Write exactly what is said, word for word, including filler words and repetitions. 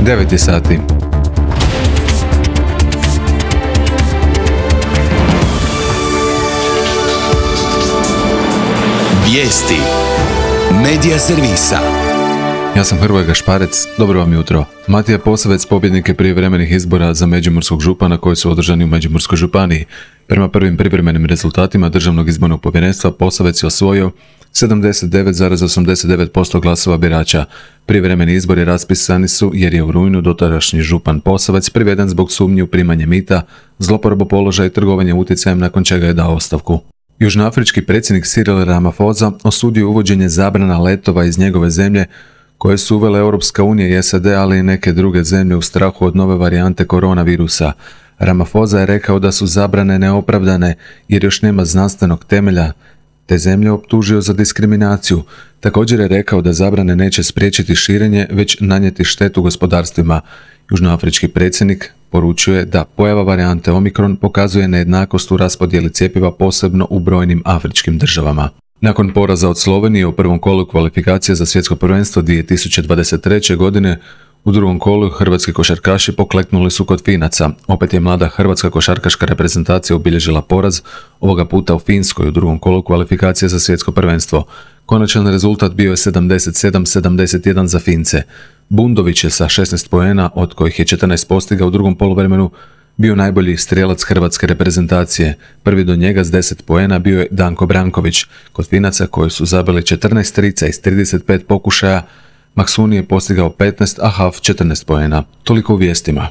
devet je sati. Vijesti Medija servisa. Ja sam Hrvoje Gašparec, dobro vam jutro. Matija Posavec pobjednik je prijevremenih izbora za međimurskog župana koji su održani u Međimurskoj županiji. Prema prvim privremenim rezultatima Državnog izbornog povjerenstva Posavec je osvojio sedamdeset devet zarez osamdeset devet posto glasova birača. Privremeni izbori raspisani su jer je u rujnu dotadašnji župan Posavec priveden zbog sumnji u primanje mita, zloporabu položaja i trgovanje utjecajem, nakon čega je dao ostavku. Južnoafrički predsjednik Cyril Ramaphosa osudio uvođenje zabrana letova iz njegove zemlje koje su uvele Europska unija i S A D, ali i neke druge zemlje u strahu od nove varijante koronavirusa. Ramaphosa je rekao da su zabrane neopravdane jer još nema znanstvenog temelja, te zemlje optužio za diskriminaciju. Također je rekao da zabrane neće spriječiti širenje, već nanijeti štetu gospodarstvima. Južnoafrički predsjednik poručuje da pojava varijante Omikron pokazuje nejednakost u raspodjeli cjepiva, posebno u brojnim afričkim državama. Nakon poraza od Slovenije u prvom kolu kvalifikacije za svjetsko prvenstvo dvije tisuće dvadeset treće. godine, u drugom kolu hrvatski košarkaši pokleknuli su kod Finaca. Opet je mlada hrvatska košarkaška reprezentacija obilježila poraz, ovoga puta u Finskoj u drugom kolu kvalifikacije za svjetsko prvenstvo. Konačan rezultat bio je sedamdeset sedam sedamdeset jedan za Fince. Bundović je sa šesnaest poena, od kojih je četrnaest postigao u drugom poluvremenu, bio najbolji strijelac hrvatske reprezentacije. Prvi do njega s deset poena bio je Danko Branković. Kod Finaca, koji su zabili četrnaest trica iz trideset pet pokušaja, Maksuni je postigao petnaest, a Haf četrnaest poena. Toliko u vijestima.